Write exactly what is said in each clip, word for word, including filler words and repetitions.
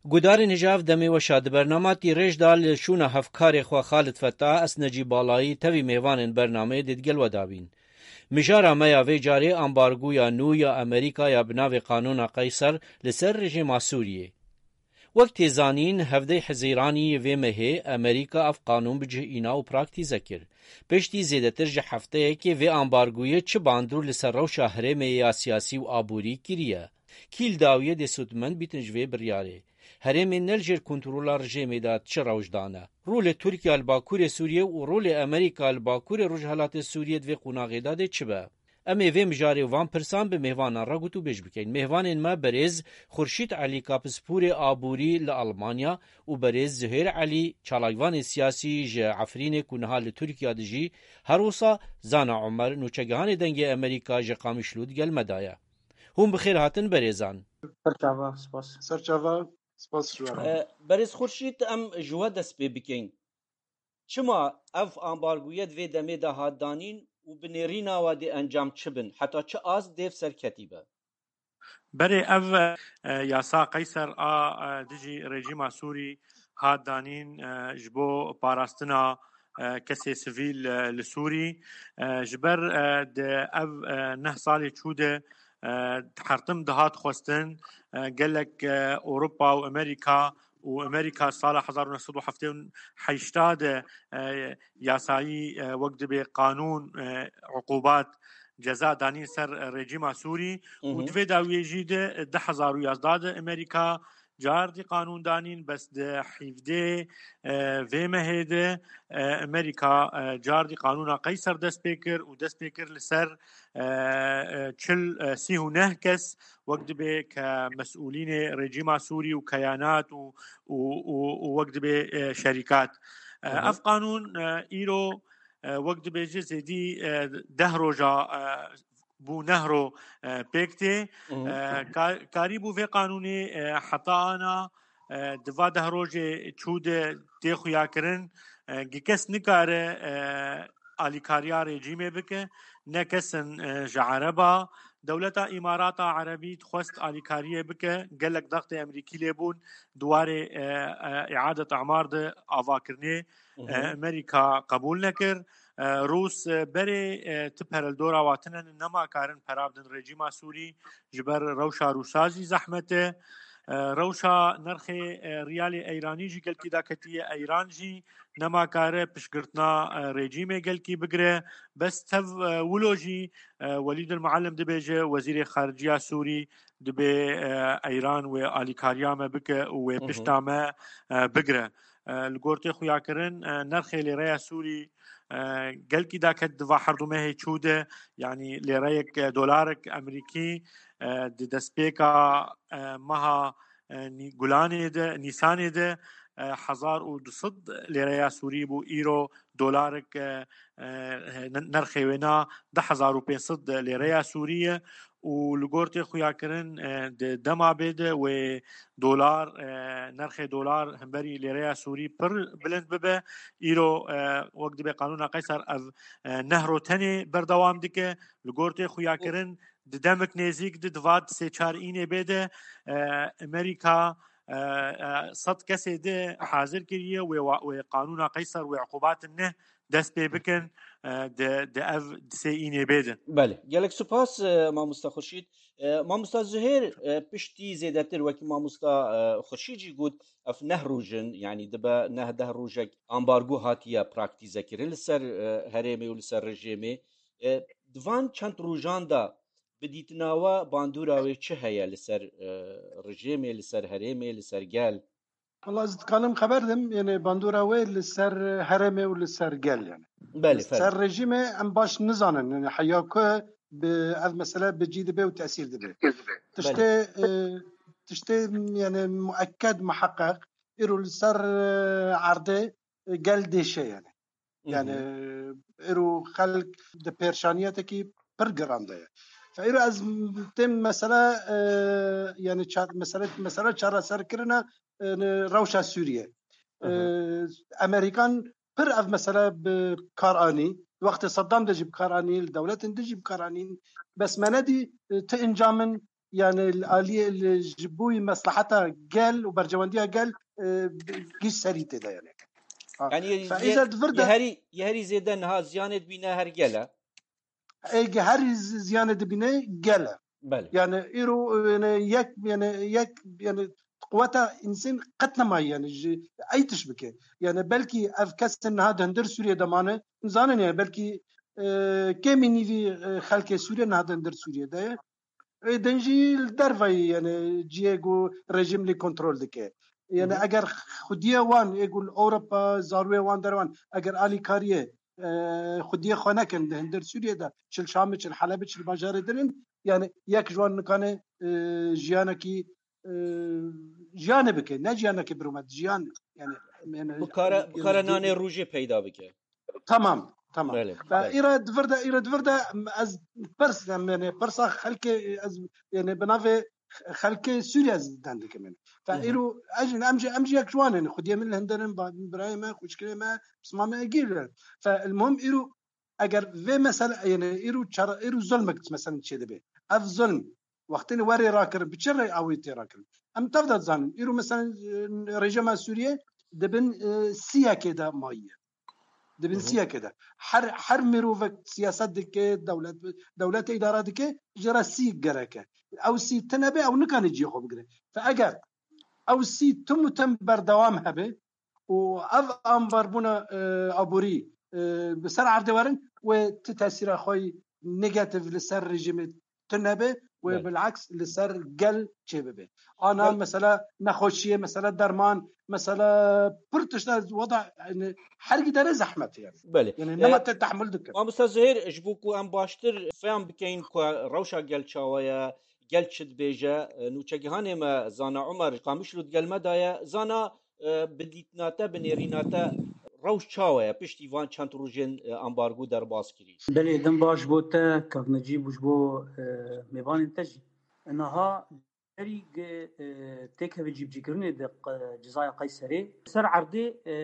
Gudarên hêja ev demê weşa di bernama tîrêj de li şûna hevkarê xwe Xalid Fetah, ez Necîb Balayî, tevî mêvanên bernameyê dê digel we dabîn. Mijara me ya vê carê ambargoya nû ya Amerîka ya bi navê Qanûna Qeyser li ser rejîma Sûriyê. Wek tê zanîn, hevdeh Hezîranî vê mehê Amerîka ev qanûn bi cih îna û praktîze kir. Piştî zêdetir ji hefteyekê vê ambargoyê çi bandor li ser rewşa herêmê ya siyasî û aborî kiriye? Kî li dawiyê dê sûdmend bîtin ji vê biryarê? Herêmên ne li jêr kontrola rejêmê de çi rewş dane? Rolê Tirkiye li Bakurê Sûriyê û rolê Amerîka li Bakurê Rojhilatê Sûriyê di vê qonaxê de dê çi be? Em ê vê mijarê û van pirsan bi mêvanan re gotûbêj bikin. Mêvanên me berêz Xurşîd Elî, kapispûrê aborî li Almanya, û berêz Zuhêr Elî, çalakvanê siyasî ji Efrînê ku niha li Tirkiye dijî, her wisa Zana Omer, nûçegihanê Dengê Amerîka ji Qamişlo, digel me de ye. Hûn bi xêr hatin berêzan. Serçava, spas. Serçava, spas ji we re. E, berêz Xurşîd, em ji we dest pê bikin. Çima ev ambargoye di vê demê de hat danîn û bi nêrîna we dê encam çi bin? Heta çi ast dê serketî be? Berê ev, e, yasa Qeyser a, e, dijî rejîma Sûrî hat danîn, e, ji bo parastina, e, kesê sivîl, e, li Sûrî. E, ji ber, e, di ev, e, neh salê çû de, e, hertim dihat xwestin, e, gelek, e, Ewropa û Amerîka û Amerîka sala hezar û neh sed û heftê û heşt de, e, yasayî, e, wek dibê qanûn, e, uqubat, ceza danîn ser, e, rejîma Sûrî û Hı hı. di vê dawiyê jî de, e, du hezar û yazdeh de Amerîka cardî qanûn danîn, bes di hevdeh, e, vê mehê de, e, Amerîka, e, cardî qanûna Qeyser dest pê kir û dest pê kir li ser, e, e, çil, e, sî û neh kes wek dibê ke mesûlînê rejîma Sûrî û keyanat û, û, û, û wek dibê, e, şerîkat. E, Hı hı. Ev qanûn, e, îro, e, wek dibêje zêdî, e, deh roja, e, bû neh ro, e, pêk tê. Hı hı. E, ka-, karî bû vê qanûnê, e, heta ana, e, di va deh rojê çû de tê xuyakirin. E, gi kes nikare, e, alîkariya rejîmê bike, ne kesin, e, ji Ereba. Dewleta Îmarata Erebî dixwest alîkariyê bike, gelek daxtê Emerîkî lê bûn, di warê, e, e, îadet emar de avakirinê, Hı hı. e, Amerîka qebûl nekir. E, Rûs, e, berê, e, ti pereldora wa tine ne, nema karin pera bidin rejîma Sûrî, ji ber rewşa Rûsa jî zehmet e. E, rewşa nirxê, e, riyalê Eyranî jî gelkî daketiye. Eyran jî nema kare piştgirtina, e, rejîmê gelkî bigire. Bes tev, e, wilo jî, e, Welîd el Muallim dibêje, wezîrê xarici ya Sûrî, dibê, e, Eyran wê alîkariya me bike û wê Hı hı. pişta me, e, bigire. E, li gor tê xuyakirin, e, nirxê lêreya Sûrî, e, gelkî daket di va her du mehê çû de, yanî lêreyek, e, dolarek Emerîkî, e, di destpêka, e, meha, e, Nî-, Gulanê de, Nîsanê de, e, hezar û du sed lêreya Sûrî bû, îro dolarek, e, e, n-, nirxê wê na du hezar û pênc sed lêreya Sûrî ye û li gor tê xuyakirin, e, di dema bê de wê dolar, e, nirxê dolar hemberî lêreya Sûrî pir bilind bibe. Îro, e, wek dibê qanûna Qeyser ev, e, neh ro tenê berdewam dike. Li gor tê xuyakirin di demek nêzîk de, di va di sê çar înê bê de, e, Amerîka, e, e, sed kesê de hazir kiriye wê wa-, wê qanûna Qeyser, wê uqubatin neh dest pê bikin, e, di, di ev di sê înê bê de. Belê. Gelek spas, e, mamosta Xurşîd. E, mamosta Zuhêr, e, piştî zêdetir wekî mamosta, e, Xurşîd jî got, ev neh roj in, yanî dibe neh deh rojek ambargo hatiye praktîze kirin li ser, e, herêmê û li ser rejêmê. E, di van çend rojan de bi dîtina we bandora wê çi heye li ser, e, rejêmê, li ser herêmê, li ser gel? Wala ez dikanim xeber dim, yani bandora wê li ser herêmê û li ser gel yani. Belê, Li ser rejîmê em baş nizanin, yani heya ku bi ev mesele bi cî dibe û tesîr dibe. Tiştê, Belê. e, tiştê yani muekked, muheqeq, îro li ser, e, erdê, e, gel dêşe yani. Hı hı. Yani, îro xelk di pêşaniyetekî pir giran de ye. Fe îro ez tên mesele, e, yani ça-, mesele, mesele çareserkirina, e, rewşa Sûriye. Hı hı. E, Amerîkan pir ev mesele bi kar anî. Wextê Saddam de jî bi kar anî, li dewletên din jî bi kar anîn. Bes me nedî, e, ti encam in, yani li aliyê li ji bo mesleheta gel û berjewendiya gel, e, giş serî tê de yani. Ha. Yani Fe ye, îcar di vir ye de herî ye herî zêde niha ziyanê dibîne her gel e. Ê, her z- ziyanê dibîne gel e. Belê. Yani îro yani yek yani yek yani quweta însan qet nemaye yani ji ey tiş bike. Yani belkî ev kesên niha di hundir Sûriyê de mane, zanin yani belkî, e, kêmî nîvî, e, xelkê Sûriyê niha di hundir Sûriyê de ye. Ê din jî li dervayî yani cihê ku rejîm lê kontrol dike. Yani Mhm. eger xwediyê wan ê ku li Ewropa zarûyê wan derwan eger alîkariyê, e, xwediyê xwe nekin li hundir Sûriyê de çil Şamê, çil Helebê, çil bajarê din in, yani yek ji wan nikane, e, jiyanekî, e, jiyanê bike, ne jiyanekî birûmet, jiyan yani, yani Bikare bikare nanê rûjê peyda bike. Tamam, tamam. Belê, Ve belê. îre di vir de, îre di vir de ez pirs, em, yani pirsa xelkê ez yani bi navê xelkê Sûriye ez deng dikim yani. Ve Hı hı. îro ez em jî em jî yek ji wan yani xwediyê min li hundir in, ba- birayê me, xwişkirê me, pisma me gîr. Ve el muhim îro eger vê mesele yani îro çare îro zulmek mesela çê dibe. Ev zulm wextê werê rakirin, bi çi rê awî tê rakirin? Em tev de dizanin. Îro mesela, e, rejîma Sûriye dibin, e, siyekê de mayiye. Dibin Hı hı. siyekê de. Her her mirovek siyaset dike, dewlet dewlete îdare dike, ji re sî gereke. Ew sî tine be, ew nikane cihê xwe bigire. Fe eger ew sî tim û tim berdewam hebe û ev ambarbûna, e, aborî, e, bi ser erdê werin, wê ti tesîra xwe yî negatif li ser rejîmê tune be, wê Belê. bilaks li ser gel çêbibe. Ana Belê. mesela nexweşiyê, mesela derman, mesela pir tişta wada, yani her gidere zehmet yani. Belê. Yani E, nema te tehmil dikin. Mamosta Zihêr, ji bo ku em baştir fehm bikeyin ku rewşa gel çawa ye, gel çi dibêje, e, nûçegihanê me Zana Umer ji Qamişlo di gel me de ye. Zana, e, bi dîtina te, bi nêrîna te rewş çawa ye piştî van çend rojên, e, ambargo derbas kirî? Belê, dem baş bo te, Kak Necîb, û ji bo, e, mêvanên te jî. Niha berî ge, e, têkeve cîbicîkirinê di, e, cizaya Qeyserê, ser erdê, e,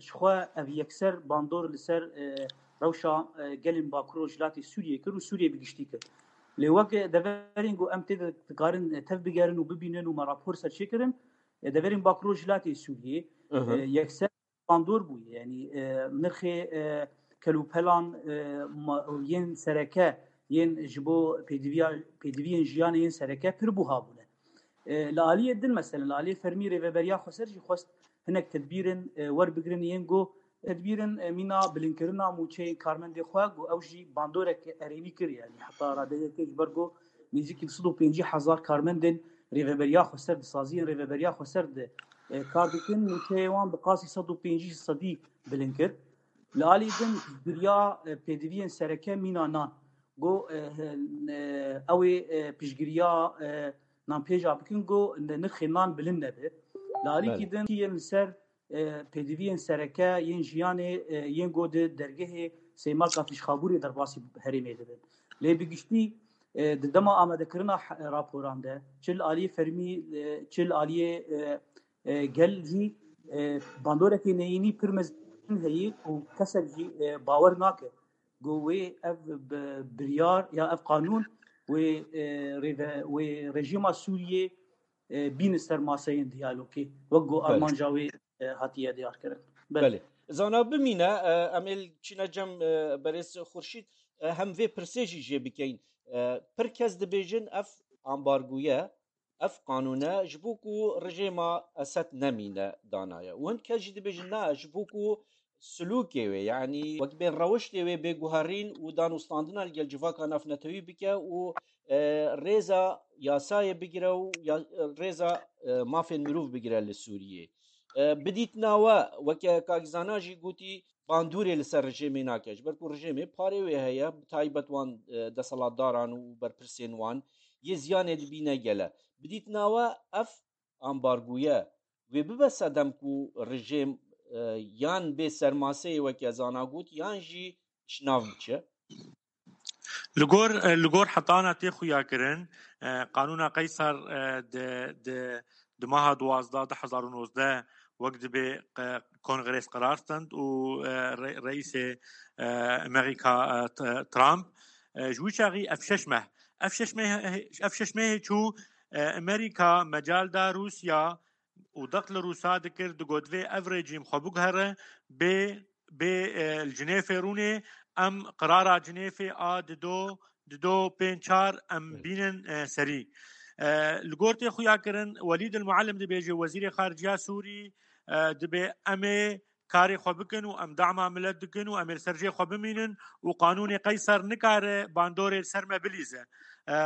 ji xwe ev yekser bandor li ser, e, rewşa, e, gelên Bakur Rojhilatê Sûriyê kir û Sûriyê bi giştî kir. Lê wek deverên ku em tê de dikarin, e, tev bigerin û bibînin û me rapor serçêkirin, e, deverên Bakur Rojhilatê Sûriyê, Hı hı. e, yekser bandor bûye. Yanî, e, nirxê, e, kelûpelan, e, ma- yên sereke, yên ji bo pêdiviya, pêdiviyên jiyanê yên sereke pir buha bûne. E, li aliyê din, mesela, li aliyê fermî Rêveberiya Xweser jî xwest hinek tedbîrin, e, werbigirin yên ku tedbîrin, e, mîna bilinkirina mûçeyên karmendê xwe ku ew jî bandorek erênî kir, yanî heta radeyekê ji ber ku nêzîkî li sed û pêncî hezar karmendên Rêveberiya Xweser di saziyên Rêveberiya Xweser de, e, kar dikin, mûçeyê wan bi qasî sed û pêncî sedî bilind kir. Li alî din piştgiriya, e, pêdiviyên sereke mîna nan. Got, e, e, ew ê, e, piştgiriya, e, nanpêja bikin, got, ne-, nirxê nan bilind nebe. Li alîkî Belê. din yên li ser, e, pêdiviyên sereke yên jiyanê, e, yên got di dergehê Sêmalka Fîşxabûrê derbasî herêmê dibin. Lê bi giştî, e, di dema amadekirina he-, raporan de, çi li aliyê fermî, e, çi li aliyê, e, e, gel jî, e, bandorekê neyînî pir mezin heye û kesek jî, e, bawer nake. Got wê ev bi-, biryar ya ev qanûn wê, e, rêve-, wê rejîma Sûriyê, e, bîne ser maseyên diyalogê, wek ku Belê. armanca wê, e, hatiye diyarkirin. Belê. Belê. Zana bimîne, e, em ê çîne cem, e, berêz Xurşîd, e, hem vê pirsê jî jê bikeyin. E, pir kes dibêjin ev ambargoye, ev qanûne ji bo ku rejêma Esed nemîne danaye. Û hin kes jî dibêjin na, ji bo ku silûkê wê, yanî wek bên rewiştê wê bê guherîn û danûstandina li gel civaka navnetewî bike û, e, rêza yasayê bigire û ya, rêza, e, mafên mirov bigire li Sûriyê. E, bi dîtina we, weke Kak Zana jî gotî, bandorê li ser rejêmê nake. Ji ber ku rejêmê parê wê heye, bi taybet wan, e, desthilatdaran û berpirsên wan, yê ziyanê dibîne gel e. Bi dîtina we ev ambargoye wê bibe sedem ku rejêm, e, yan bê sermaseyê weke Zana got, yan jî ji nav biçe? Li gor, li gor hetana tê xuyakirin, e, Qanûna Qeyser, e, di, di, di maha duwazdeh du hezar û nozdeh wek dibê, e, Kongres qerar stend û, e, re-, reîsê, e, Amerîka, e, t-, Trump, e, ji wî çaxî ev şeş meh, Ev şeş meh-, ev şeş mehê çû, e, Amerîka mecal da Rûsya û dext li Rûsa dikir, digot vê ev rejîm xwe biguhere, bê, bê, e, li Cinêfê rûnê, em qirara Cinêfê a dido, dido pênc çar em Evet. bînin, e, serî. E, li gor tê xuya kirin, Welîd El Muallim dibêje, wezîrê xarice ya Sûrî, e, dibê em ê karê xwe bikin û em dama milet dikin û em ê li ser jê xwe bimînin û qanûnê Qeyser nikare bandorê li ser me bilîze. E, e,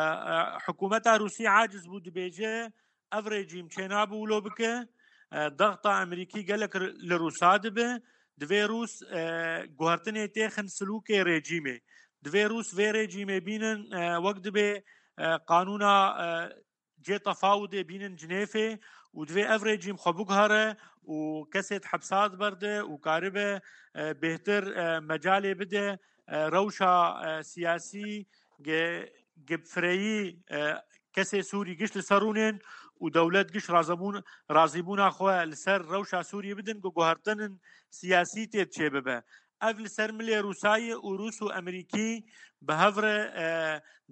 hikûmeta Rûsî aciz bû, dibêje, ev rejîm çênabe wilo bike. E, dexta Amerîkî gelek li Rûsa dibe. Divê Rûs, e, guhertinê têxin silûkê rejîmê. Divê Rûs vê rejîmê bînin, e, wek dibê, e, qanûna, e, cê tefawudê bînin Cinêfê û divê ev rejîm xwe biguhere û kesê di hepsa di berde û karibe, e, bêhtir, e, mecalê bide, e, rewşa, e, siyasî ge-, ge fireyî, e, kesê Sûrî giş li ser rûnên û dewlet giş razibûn-, razîbûna xwe li ser rewşa Sûriyê bidin, ku guhertinin siyasî tê çê bibe. Ev li ser milê Rûsayê û Rûs û Emerîkî bi hev re, e,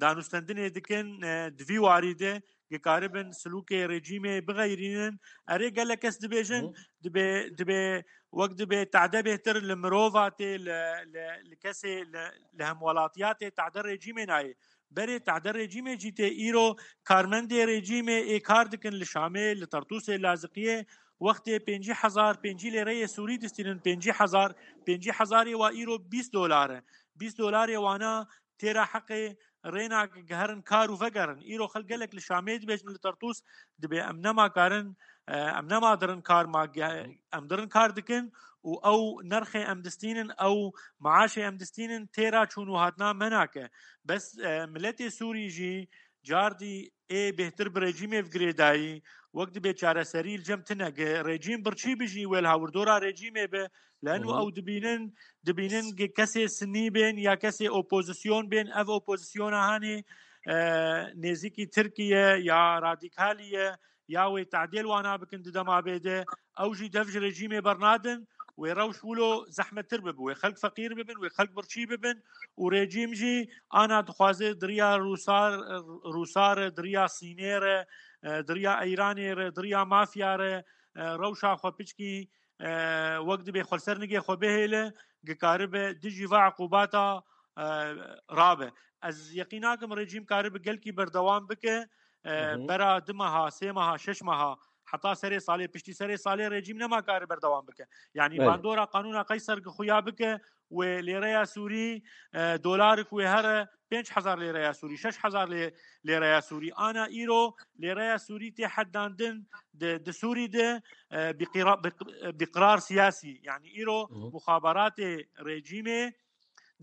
danûstendinê dikin, e, di vî warî de, ki karibin silûkê rejîmê bixeyrînin. Erê, gelek kes dibêjin, Hı. dibê, dibê, wek dibê tade bêhtir li mirova tê, li, li, li kesê, li, li hemwelatiya tê tade rejîmê nayê. Berê tade rejîmê jî tê, îro karmendê rejîmê ê kar dikin li Şamê, li Tertûsê, Laziqiyê, wextê pêncî hezar, pêncî lêreyê Sûrî distînin, pêncî hezar, pêncî hezarê wa îro bîst dolar e. Bîst dolarê wana têra heqê rêna giherin kar û vegerin. Îro xelk gelek li Şamê dibêjin, li Tertûs dibê em nema karin, e, em nema dirin kar ma ge-, em dirin kar dikin û ew nerxê em distînin, ew maaşê em distînin têra çûn û hatina me nake. Bes, e, miletê Sûrî jî cardî ê bêhtir bi rejîmê ve girêdayî, wek dibê çareserî li cem tine. Ge rejîm birçî bi jî wê li hawirdora rejîmê be, leno Hı hı. ew dibînin, dibînin ge kesê sinî bên ya kesê opozisyon bên, ev opozisyona hanê, e, nêzîkî Tirkiye ya radîkalî ye, ya wê tadêl wana bikin di dema bê de, ew jî dev ji rejîmê bernadin, wê rewş wilo zehmettir bibe, wê xelk feqîr bibin, wê xelk birçî bibin û rejîm jî ana dixwaze di riya Rûsa-, Rûsa re, di riya Sînê re, e, di riya Îranê re, di riya mafya re, e, rewşa xwe piçkî, e, wek dibê xwe li ser nigê xwe bihêle, dikaribe dijî va eqûbata, e, rabe. Ez yeqîn nakim rejîm karibe gelkî berdewam bike, e, Hı hı. bera du meha, sê meha, şeş meha, heta serê salê, piştî serê salê rejîm nema kare berdewam bike. Yanî Belê. bandora qanûna Qeyser gi xuya bike, wê lêreya Sûrî, e, dolarik wê here pênc hezar lêreya Sûrî, şeş hezar lê-, lêreya Sûrî. Ana îro lêreya Sûrî tê hedandin di, di Sûrî de, e, bi qira-, bi, bi qirar siyasî. Yanî îro Hı hı. muxabaratê rejîmê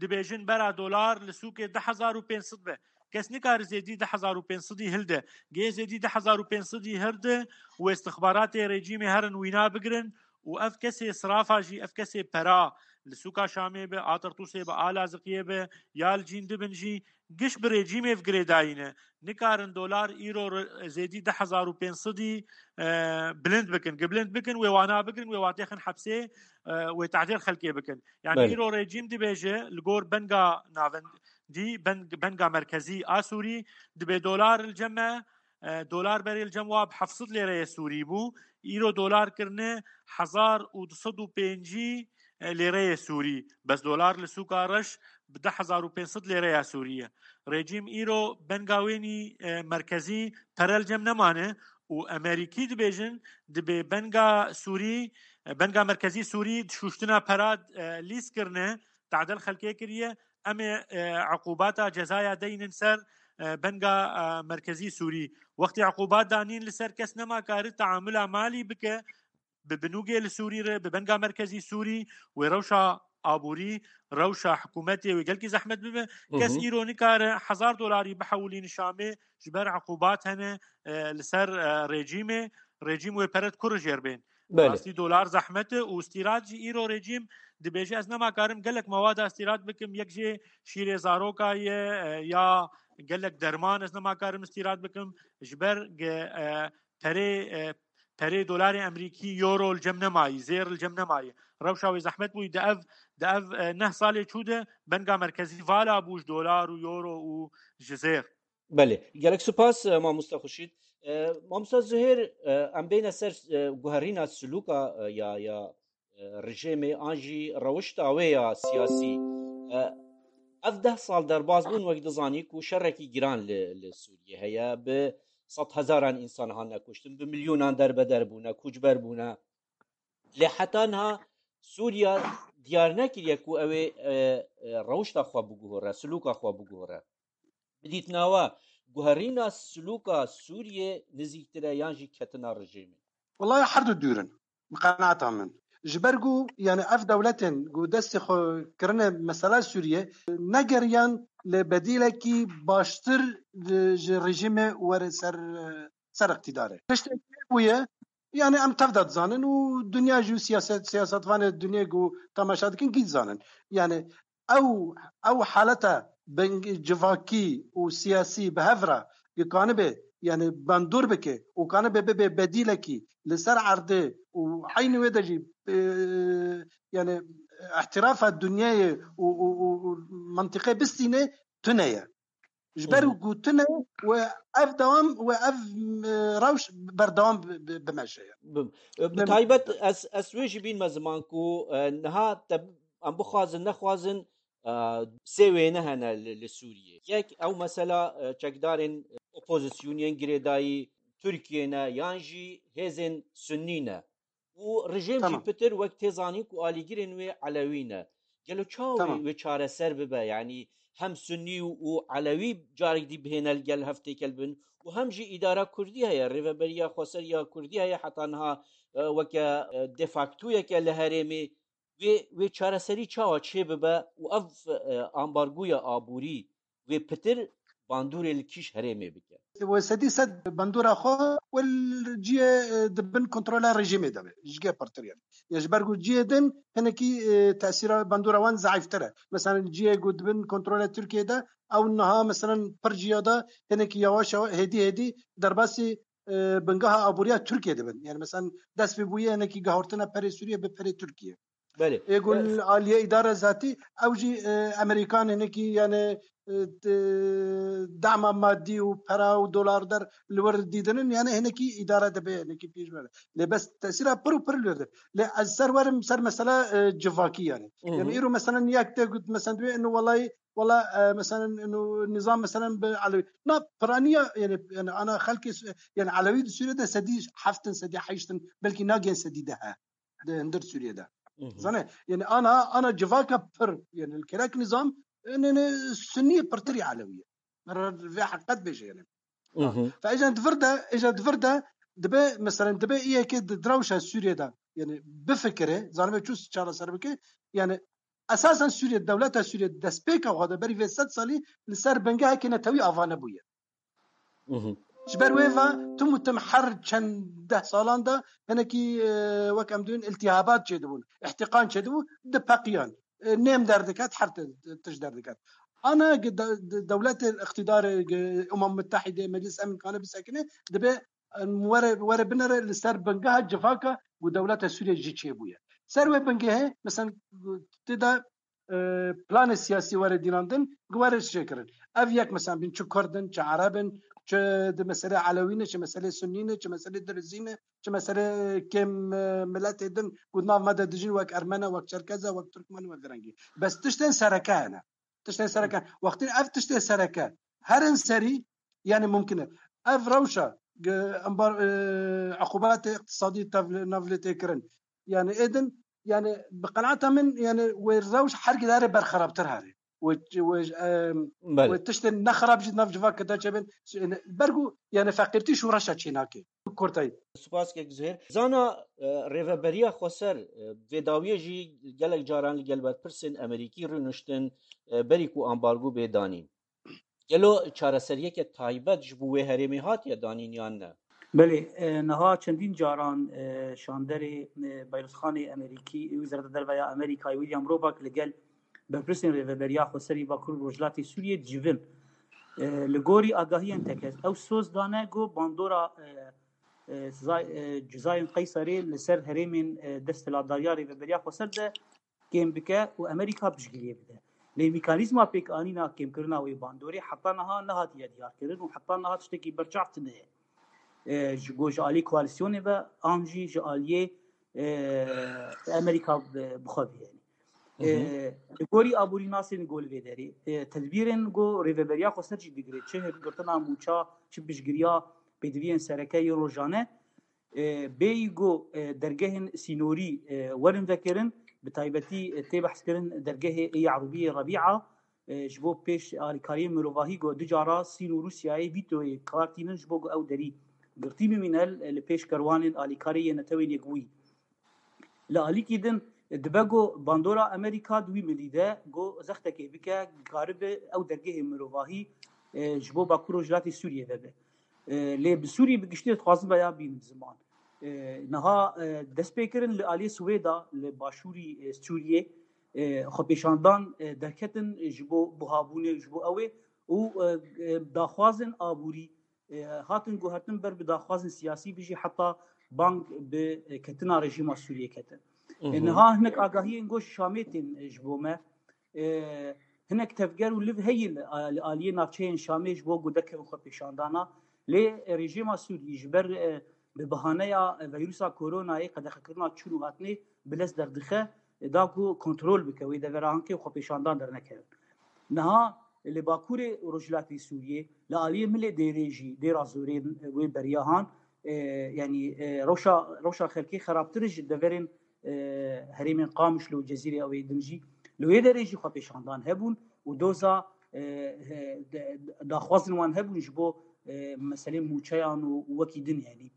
dibêjin bera dolar li sûkê du hezar û pênc sed be. Kes nikare zêdî du hezar û pênc sedî hilde. Gê zêdî du hezar û pênc sedî hilde û istixbaratê rejîmê herin wîna bigirin û ev kesê sirafa jî, ev kesê pera li sûka Şamê be, a Tertûsê be, a Laziqiyê be, ya li cîn dibin jî, giş bi rejîmê ve girêdayî ne. Nikarin dolar îro re-, zêdî du hezar û pênc sedî, e, bilind bikin. Gi bilind bikin, wê wana bigirin, wê watê xin hepsê, e, wê tehdêr xelkê bikin. Yanî Belê. îro rejîm dibêje, li gor benga navendî, beng-, benga merkezî a Sûrî, dibê dolar li cem me, e, dolar berê li cem wa bi heft sed lêreyê Sûrî bû. Îro dolar kirine hezar û du sed û pêncî, e, lêreyê Sûrî. Bes dolar li sûka reş bi du hezar û pênc sed lêreya Sûrî ye. Rejîm îro benga wênî, e, merkezî pere li cem nemane û Emerîkî dibêjin, dibê benga Sûrî, e, benga merkezî Sûrî di şûştina pera, e, lîs kirine, tadel xelkê kiriye, em ê, e, eqûbata cezaya deynin ser, e, benga, e, merkezî Sûrî. Wextê eqûbat danîn li ser kes nema kari teamula malî bike, bi binûgê li Sûrî re, bi benga merkezî Sûrî, wê rewşa aborî, rewşa hikûmetê wê gelkî zehmet bibe. Kes Hı hı. îro nikare hezar dolarî bihewilîne Şamê, ji ber eqûbat hene, e, li ser, e, rejîmê, rejîm wê pere dikur jêr bên. Belê. Rastî dolar zehmet e û stîrat jî îro rejîm dibêje, ez nema karim gelek mewada stîrat bikim, yek jê şîrê zaroka ye, e, ya gelek derman ez nema karim stîrat bikim, ji ber ge, e, perê, e, perê dolarê Emerîkî, euro li cem nemayî, zêr li cem nemayî. Rewşa wê zehmet bûyî di ev, di ev, e, neh salê çû de benga merkezî vala bû ji dolar û euro û ji zêr. Belê, gelek spas, e, mamosta Xurşîd. E, mamosta Zuhêr, e, em bêne ser, e, guherîna silûka, e, ya, ya, e, rejîmê an jî rewişta wê ya siyasî. E, ev deh sal derbas bûn, wek dizanî ku şerekî giran li, li Sûriyê heye. Bi sed hezaran însan hatine kuştin, bi milyonan derbeder bûne, koçber bûne. Lê heta niha Sûriya diyar nekiriye ku ew ê, e, e, rewişta xwe biguhore, silûka xwe biguhore. Bi dîtina we, guherîna silûka Sûriyê nizîktir e yan jî ketina rejîmê? Welayi her du dûr in, bi qenaeta min. Ji ber ku, yani, ev dewletên ku destê xwe kirine mesela Sûriyê, negeriyan li bedîlekî baştir ji, ji rejîmê were ser, ser îqtîdarê. Tiştek bûye, yani, em tev de dizanin û dinya jî û siyaset, siyasetvanê dinyê ku temaşe dikin gî dizanin. Yani, ew, ew haleta beng-, civakî û siyasî bi hev re, ki kanibe, yani, bandor bike û kanibe bibe bedîlekî li ser erdê û eynî wê de jî, e, yani, îhtirafa dinyayê û, û, û, û mentiqê bistîne tune ye. Ji ber Hı hı. ku tune we ev dewam, we ev, e, rewş berdewam bi, bi, bimeşe ye. Bi, e, bi Mem- taybet ez, ez wê jî bînme ziman ku, e, niha te, em bixwazin, nexwazin, e, sê wêne hene li, li Sûriyê. Yek, ew mesela, e, çekdarên opozisyoniyên girêdayî Tirkiyê ne, yan jî hêzên Sunnî ne. Û rejîm jî Tamam. pitir wek tê zanîn ku alîgirên wê Elewî ne. Gelo çawa wê, Tamam. wê çareser bibe? Yanî hem Sunnî û, û Elewî carek dî bihêne li gel hev têkel bin û hem jî îdara Kurdî heye, Rêveberiya Xweser ya Kurdî heye, heta niha, e, weke, e, de factoyeke li herêmê. Wê, wê çareserî çawa çêbibe û ev, e, ambargoya aborî wê pitir bandorê li kîj herêmê bike? Wê sedî sed bandora xwe wê li ciyê, e, di bin kontrola rejîmê de be. Ji gê pirtir yani. Ya ji ber ku ciyê din hinekî, e, tesîra bandora wan zeîftir e. Mesela ciyê ku di bin kontrola Tirkiyê de, ew niha mesela pir ciya de hinekî yavaş yavaş, hêdî hêdî derbasî, e, bingeha aboriya Tirkiyê dibin. Yani mesela dest pê bûye hinekî gehortina perê Sûriyê bi perê Tirkiyê. Belê. Ê ku E, li aliyê îdara zatî, ew jî, e, Amerîkan hinekî, yani, e, t-, dema madî û pera û dolar der li wir dîdinin, yani hinekî îdara dibe, hinekî pêş bere. Lê bes tesîra pir û pir li wir de. Lê ez ser werim ser mesela, e, civakî yani. Hı hı. Yani îro mesela yek te got mesela dibê inu welay, wela, e, mesela inu nizam mesela bi Elewî. Na piraniya yani, yani ana xelkê Su-, yani Elewî di Sûriyê de sedî heftin, sedî heştin, belkî nagên sedî deh e. Di hundir Sûriyê de. Hı hı. Zane, yani ana, ana civaka pir, yani li kerek nizam, yani, yani Sunnî pirtirî Elewî ye. Re-, vê heqet bêje yani. Hı hı. Fe êjan di vir de, êjan di vir de dibe, mesela dibe î yekê di, di rewşa Sûriyê de, yani bifikire, zanibe çû çareser bike, yani esasen Sûriye, dewleta Sûriye destpêka xwe de berî vê sed salî li ser bingehekê netewî ava nebûye. Mhm. Ji ber wê ve tim û tim her çend deh salan de hinekî, e, wek em dibin, iltihabat çêdibûn, îhtîqan çêdibû, dipeqiyan. E, nêm derdiket, her ti-, tişt derdiket. Ana gi de-, de-, dewletê îqtîdarê gi Umem Mutehîdê, Meclis Emîn kane bisekine, dibe, e, were, were binere li ser bingeha civaka ku dewleta Sûriyê jî çêbûye. Ser wê bingehê, mesela, tê de e, planê siyasî were dînandin, were çêkirin. Ev yek mesela bin çi Kurd in, çi Ereb in, çi di meselê Elewî ne, çi meselê Sunnî ne, çi meselê Dirizî ne, çi meselê kêm, e, miletê din ku nav me de dijîn wek Ermene, wek Çerkeze, wek Tirkmen, wek rengî. Bes tiştên sereke hene. Tiştên sereke. Wextî ev tiştê sereke herin serî, yani mumkin e. Ev rewşa, e, embar, e, eqûbatê iqtisadî tev-, nav lê tê kirin. Yani êdin, yani bi qenaeta min, yani wê rewş her gidare berxerabtir here. Wê, wê, em, Belê. wê tiştên nexerab jî nav civak de çêbin. Yani, bergu, yani feqîrtî şoreşa çênake. Kurtayî. Spas kek Zuhêr. Zana, e, Rêveberiya Xweser, e, vê dawiyê jî gelek caran li gel berpirsên Amerîkî rûniştin, e, berî ku ambargo bê danîn. Gelo çareseriyeke taybet ji bo wê herêmê hatiye danîn yan ne? Belê, e, niha çendîn caran, e, şanderê, e, Bayrûzxanê Amerîkî, Wezareta Derve ya Amerîkayê William Roback li gel berpirsên Rêveberiya Xweserî Bakur û Rojhilatê Sûriyê dicivin. E, li gorî agahiyên tekez, ew soz dane ku bandora, e, e, Zay-, e, Cizayên Qeyserê li ser herêmên, e, desthilatdariya Rêveberiya Xweser de kêm bike û Amerîka piştgiriyê bide. Lê mekanîzma pêkanîna kêmkirina wê bandorê heta niha nehatiye diyarkirin û heta niha tiştekî berçav tune ye. E, ji bo ji alî koalîsyonê ve an jî ji aliyê, e, Amerîka bi, bi xwe ve, yanî. E, li gorî aborînasên go li vê derê, e, tedbîrên go Rêveberiya Xweser jî digire, çi hilgirtina mûça, çi piştgiriya pêdiviyên sereke yên rojane, e, bêyî go, e, dergehên sînorî, e, werin vekirin, bi taybetî, e, tê behskirin dergehê ê Erûbiyê Rebîa, e, ji bo pêş alîkariyên mirovahî go du cara Sîn û Rûsyayê vîtoyê kar tînin ji bo ku ew derî girtî bimîne, e, li pêş kerwanên alîkarê yê Netewên Yekbûyî. Li alîkî din, e, dibe ku bandora Amerîka di wî milî de ku zextekê bike, karibe ew dergehê mirovahî, e, ji bo Bakur Rojhilatê Sûriyê vebe. E, lê bi Sûrî bi giştî dixwazim veya bînim ziman. E, niha, e, dest pê kirin li aliyê Swêda, li başûrî, e, Sûriyê, e, xwepêşandan, e, derketin ji bo buhabûnê, ji bo ew ê û, e, e, daxwazên aborî, e, hatin guhertin ber bi daxwazên siyasî, bijî heta bang bi, e, ketina rejîma Sûriyê ketin. E, niha hinek agahiyên go ji Şamê tên, e, ji bo me. E, hinek tevger û liv heye li, li aliyê navçeyên Şamê ji bo ku derkevin xwepêşandana. Lê, e, rejîma Sûriyê ji ber, e, bi bahaneya, e, vîrusa koronayê qedexekirina çûn û hatinê bi lez derdixe, e, da ku kontrol bike wê devera hinkê xwepêşandan dernekevin. Niha li Bakurê Rojhilatê Sûriyê, li aliyê Milê Dêrê jî, Dêra Zorê, e, wê beriya han, e, yanî, e, rewşa, rewşa xelkê xerabtir ji deverên, e, herêmên Qamişlo û Cezîrê ew ê din jî. Li wê derê jî xwepêşandan hebûn û doza, e, e, de, daxwazin wan hebûn ji bo, e, meselên mûçeyan û, û wekî din, yanî.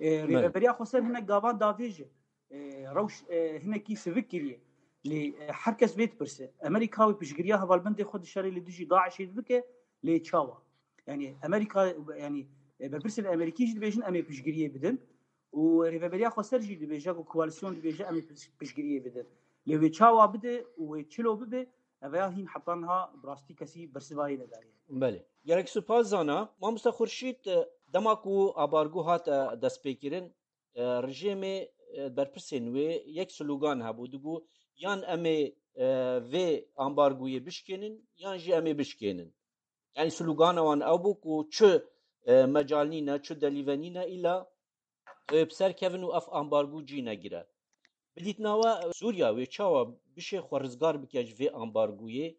E, Rêveberiya Xweser hinek gavan davêje. E, rewş, e, hinekî sivik kiriye. Lê, e, her kes vê dipirse. Amerîka wê piştgiriya hevalbendê xwe di şerê li dijî DAIŞê dibike, lê çawa? Yanî Amerîka, yanî, e, berpirsên Amerîkî jî dibêjin em ê piştgiriyê bidin û Rêveberiya Xweser jî dibêje ku koalîsyon dibêje em ê piş-, piştgiriyê bidin. Lê wê çawa bide û wê çilo bibe, ev ya hîn heta niha bi rastî kesî bersivayê nedaye. Belê. Gelek spas Zana. Mamoste Xurşîd, e, dema ku ambargo hat, e, destpêkirin, e, rejîmê, e, berpirsên wê yek slogan hebû, digot, yan em ê, e, vê ambargoyê bişkênin, yan jî em ê bişkênin. Yanî slogana wan ew bû ku çi, e, mecal nîne, çi delîve nîne, îla ew ê bi ser kevin û ev ambargo cî negire. Bi dîtina we, Sûriya wê çawa bişê xwe rizgar bike ji vê ambargoyê?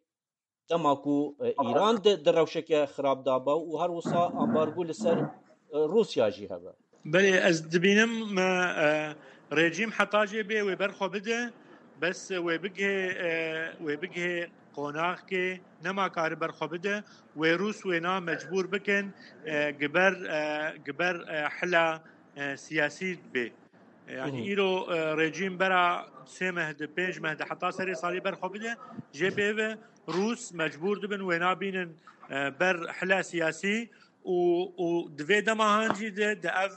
Dema ku, e, Îran di, di rewşeke xirab de be û her wisa ambargo li ser, e, Rûsya jî hebe. Belê, ez dibînim, e, e, rejîm heta jê bê wê ber xwe bide, bes wê bigihê, e, wê bigihê qonaxkê, nema kari ber xwe bide, wê Rûs wêna mecbûr bikin, e, giber, e, giber, e, hila, e, siyasî bê. E, yanî Hı hı. îro, e, rejîm bera sê meh de, pênc meh de, heta serê salê ber xwe bide, jê pê ve Rûs mecbûr dibin wêna bînin, e, ber hila siyasî û, û di vê dema han jî de, di ev,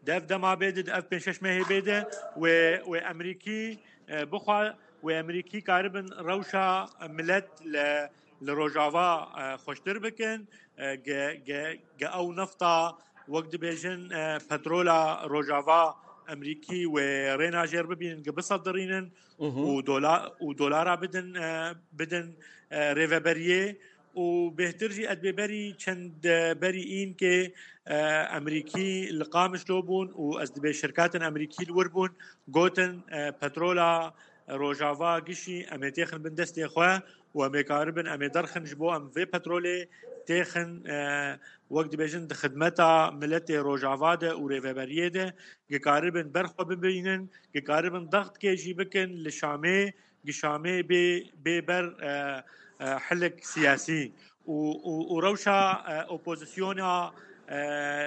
di ev dema bê de, di ev pênc şeş mehê bê de wê, wê Emerîkî, e, bixwe, wê Emerîkî karibin rewşa milet li, li Rojava, e, xweştir bikin, e, ge, ge, ge ew nefta, wek dibêjin, e, petrola Rojava Emerîkî wê rêna jêr bibînin, ge bisedirînin Hı hı. û dola-, û dolara bidin, e, bidin, e, rêveberiyê û bêhtir jî ez dibê berî çend, e, berî înkê, e, Emerîkî li Qamişlo bûn û ez dibê şirkatên Emerîkî li wir bûn, gotin, e, petrola Rojava gişî em ê têxin bin destê xwe û em ê karibin, em ê derxin ji bo em vê petrolê têxin, e, wek dibêjin di xidmeta miletê Rojava de û rêveberiyê de, ge karibin ber xwe bibînin, ge karibin dextkê jî bikin li Şamê, ge Şamê bê, bê ber, e, e, hilik siyasî û, û, û rewşa, e, opozisyona, e,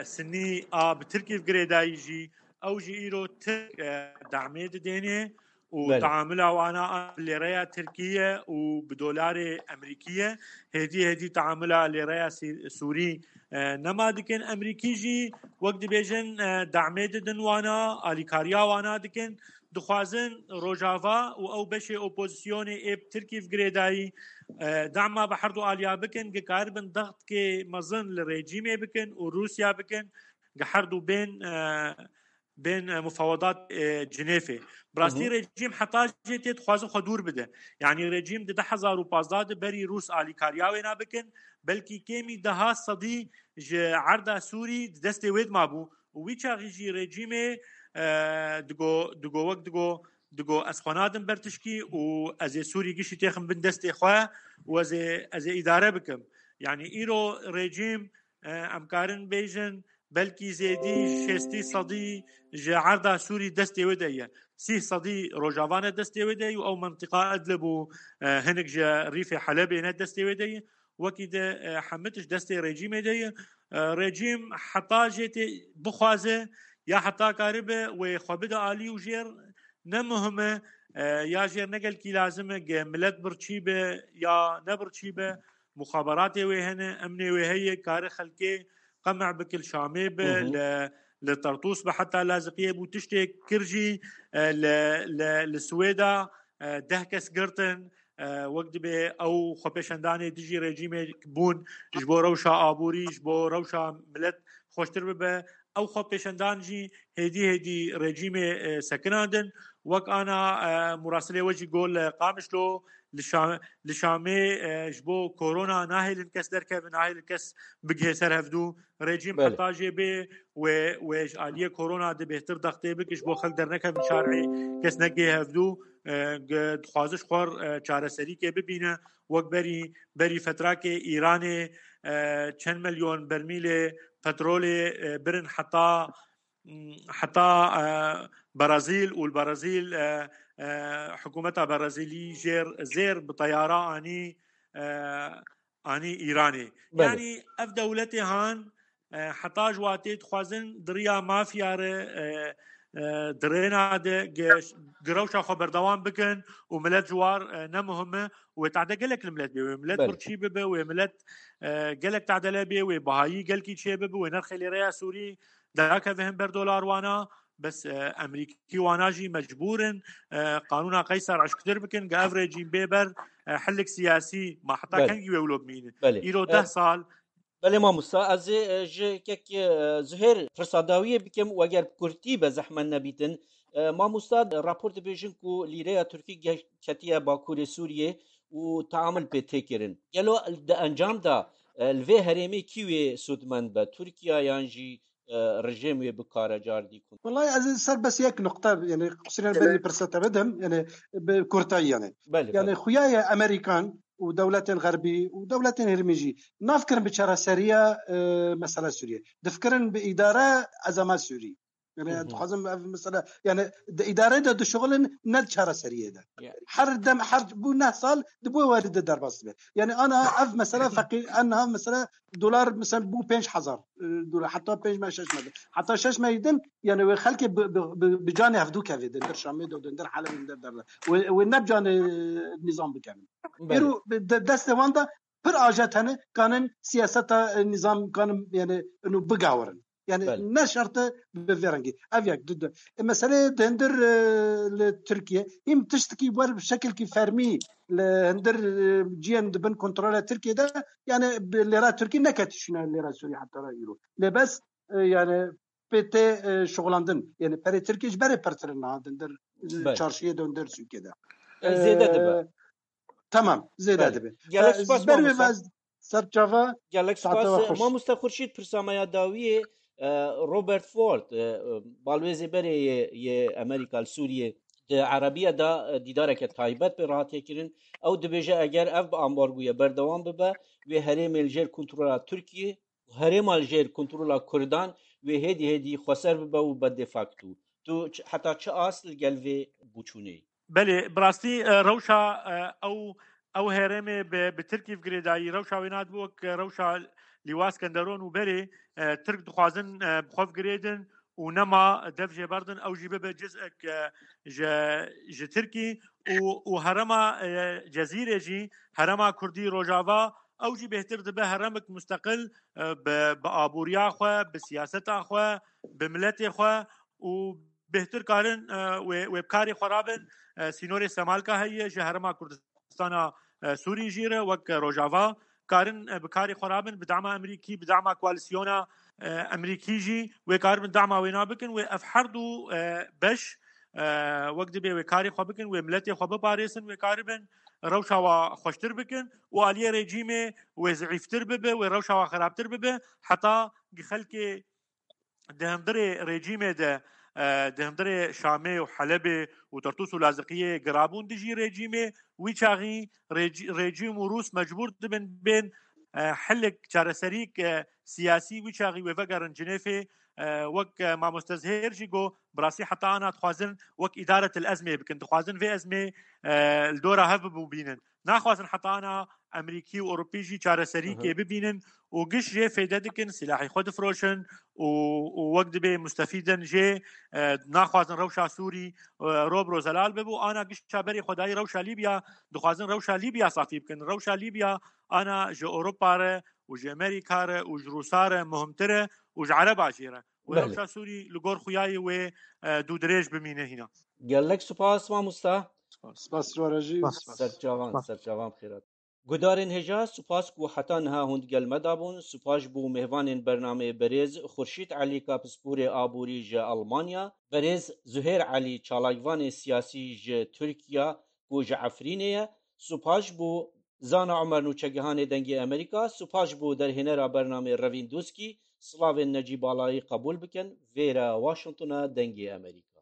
sinî a bi Tirkî girêdayî jî, ew jî îro Tirk, e, damê didênê û Belê. taamula wana a lêreya Tirkî ye û bi dolarê Emerîkî ye. Hêdî hêdî taamula lêreya Sî-, Sûrî, e, nema dikin. Emerîkî jî wek dibêjin, e, damê didin wana, alîkariya wana dikin. Dixwazin Rojava û ew beşê opozisyonê ê bi Tirkî ve girêdayî, e, dama bi herdu aliya bikin, ge karibin dextkê mezin li rejîmê bikin û Rûsya bikin, ge herdu bên, e, bên, e, mufawedat, e, Cinêfê. Bi rastî Hı hı. rejîm heta jê tê dixwaze xwe dûr bide. Yanî rejîm di du hezar û pazdeh de berî Rûs alîkariya wê nabikin, belkî kêmî deha sedî ji erda Sûrî di destê wê de mabû. Û wî çaxî jî rejîmê, e, digo, digo wek digo, digo ez xwe nadim ber tişkî û ez ê Sûrî gişî têxim bin destê xwe û ez ê, ez ê îdare bikim. Yanî îro rejîm, e, em karin bêjin, belkî zêdî şêstî sedî ji erda Sûrî destê wê de ye. Sî sedî Rojava ne destê wê de ye û ew mentiqa Idlib û, e, hinek ji Rîfê Helebê ne destê wê de ye. Wekî de, e, hemî tişt destê rejîmê de ye. E, rejîm heta jê tê bixwaze ya heta karibe wê xwe bide alî û jêr ne muhim e, e, ya jêr ne gelkî lazim e, ge milet birçî be ya ne birçî be, muxaberatê wê hene, emnê wê heye, kare xelkê qemeh bike, li Şamê be, Hı hı. li, li Tertûs be, heta Laziqiyê bû tiştê kir jî, e, li, li, li Swêda, e, deh kes girtin, e, wek dibê ew xwepêşandanê dijî rejîmê bûn, ji bo rewşa aborî, ji bo rewşa milet xweştir bibe. Ew xwepêşandan jî hêdî hêdî rejîmê, e, sekinandin. Wek ana, e, murasilê we jî got li Qamişlo, li Şa-, li Şamê, e, ji bo korona nahêlin kes derkevin, nahêlin kes bigihê ser hevdû. Rejîm Belê. heta jê bê wê, wê ji aliyê korona de bêhtir dextê bike, ji bo xelk dernekevin şarê, kes negihê hevdû, e, ge-, dixwaze ji xwe, e, çareserîkê bibîne. Wek berî, berî fetrakê Îranê, e, çend milyon bermîlê petrolê, e, birin heta, heta, e, Brezîl û li Brezîl, e, e, hikûmeta Brezîlî jêr, zêr bi teyara anî, e, anî Îranê. Belê. Yanî ev dewletê han, e, heta ji watê dixwazin di riya mafya re, e, e, di rêna de ge-, girewşa xwe berdewam bikin û milet ji war, e, ne muhim e û wê tade gelek li milet bê. Wê milet Belê. birçî bibe, wê milet, e, gelek tadele bê, wê bihayî gelkî çê bibe, wê nerxê lêreya Sûrî dakeve hin ber dolar wana. Bes, e, Emerîkî wana jî mecbûr in, e, qanûna Qeyser eşktir bikin, ge ev rejîm bê ber, e, hilik siyasî, ma heta Belê. kengî wê wilo bimînin? Belê. Îro E, deh sal. Belê mamosta, ez ê, e, ji kek, e, Zuhêr pirsa dawiyê bikim, û eger bi kurtî be zehmet nebîtin. E, mamosta, rapor dibêjin ku lîreya Tirkî ge-, ketiye Bakurê Sûriyê û teamil pê tê kirin. Gelo di encam de, e, li vê herêmê kî wê sûdmend be? Tirkiye yan jî, e, rejîm wê bikare cardî ku? Wellahî ez ê ser bes yek nuqte, yani qusûrên Belê. berî pirsa te bidim, yani bi kurtayî yani. Belê, Yani belê. xuya ye Amerîkan û dewletên Xerbî û dewletên Hêrmî jî nafikirin bi çareseriya, e, mesela Sûriyê. Difikirin bi îdare ezama Sûrî. Yani Hı hı. dixwazim ev mesela, yani di îdare de dişuxulin, ne di çareseriyê de. Ya. Her dem, her bu neh sal di bo werî de derbas dibe. Yani ana ev mesela feqîr, en niha mesela dolar mesela bu pênc hezar, e, dolar, heta pênc me şeş me de. Heta şeş me din, yani wê xelkê bi, bi, bi, bi canê hevdû kevê din, der Şamê de, din der Helebê, din der, der. Wê, wê ne bi canê nîzam bikevin. Belê. Îro de, destê wan de pir ajet hene, kanin siyaseta, e, nîzam kanin, yani, inu bigawirin. Yani, Belê. ne şert e bi vê rengî. Ev yek, du, du. E, meselê di hindir, e, li Tirkiye, hîm tiştekî wer bi şekilkî fermî li hindir, e, ciyên di bin kontrola Tirkiye de, yani, bi lêra Tirkî neketî şûna lêra Sûrî heta ra îro. Lê bes, e, yani, pê tê, e, şixulandin. Yani, perê Tirkiye ji berê pirtir in niha di hindir, e, Belê. çarşiyê de, hindir sûkê de. E, zêde dibe. E, Tamam, zêde Belê. dibe. Gelek E, spas, ber wê mamosta. vaz ser çava Gelek saete spas, we xweş. Mamosta Xurşîd, pirsa me ya dawiyê, e, Robert Ford, e, e, balwêzê berê yê, yê Amerîka li Sûriyê di Erebiya de, e, dîdareke taybet pê re hatiye kirin. Ew dibêje eger ev bi ambargoya berdewam bibe, wê herêmê li jêr kontrola Tirkiyê û herêma li jêr kontrola Kurdan wê hêdî hêdî xweser bibe û be de facto. Tu ç-, heta çi ast li gel vê boçûnê yî? Belê, bi rastî, e, rewşa, e, ew, ew herêmê bi, bi Tirkî ve girêdayî, rewşa wê nadibe wek rewşa Lîwa Skenderon û berê, e, Tirk dixwazin, e, bi xwe ve girêdin û nema dev jê berdin, ew jî bibe cizek, e, ji, ji Tirkî û, û herêma, e, Cezîrê jî, herêma Kurdî Rojava, ew jî bêhtir dibe herêmek musteqil, e, bi, bi aboriya xwe, bi siyaseta xwe, bi miletê xwe û bêhtir karin, e, wê, wê bi karê xwe rabin, e, sînorê Semalka heye ji herêma Kurdistana, e, Sûrî jî re wek Rojava karin, e, bi karê xwe rabin, bi dema Amerîkî, bi dema koalîsyona, e, Emerîkî jî wê karibin dama wêna bikin, wê ev her du, e, beş, e, wek dibê wê karê xwe bikin, wê miletê xwe biparêsin, wê karibin rewşa wa xweştir bikin û aliyê rejîmê wê zîftir bibe, wê rewşa wa xerabtir bibe, heta xelkê di hundirê rejîmê de, e, di hundirê Şamê û Helebê û Tertûs û Laziqiyê girabûn dijî rejîmê, wî çaxî rejî-, rejîm û Rûs mecbûr dibin bên, e, hilik çareserîk, e, siyasî wî çaxî wê vegerin Cinêfê, e, wek, e, mamoste Zihêr jî got, bi rastî heta ana dixwazin wek îdaretil ezmê bikin, dixwazin vê ezmê, e, li dora hev bibûbînin. Naxwazin heta ana Emerîkî û Ewropî jî çareserîkê Aha. bibînin û giş jê fêde dikin, silahê xwe difroşin û, û wek dibê mustefîdin jê, e, naxwazin rewşa Sûrî, e, ro bi ro zelal bibe û ana gişa berê xwe dayî rewşa Lîbya, dixwazin rewşa Lîbya safî bikin. Rewşa Lîbya ana ji Ewropa re û ji Emerîka re û ji Rûsa re muhimtir e û ji Ereba jê re. Wê Belê. rewşa Sûrî li gor xuyayê wê, e, dûdirêj bimîne hîna. Gelek spas mamosta. Spas Rojî. Spas. Serçavan, Spas. serçavan xêrat. Gudarên hêja, spas ku heta niha hûn digel me dabûn. Spas bo mêvanên bernameyê berêz Xurşîd Elî, ka pisporê aborî ji Almanya, berêz Zuhêr Elî, çalakvanê siyasî ji Tirkiya ku ji Efrînê ye. Spas bo Zana Omer, nûçegihanê Dengê Amerîka. Spas bo derhênera bernameyê Revîn Doskî. Silavên Necîb Alayî qebûl bikin. Vêre Washingtona Dengê Amerîka.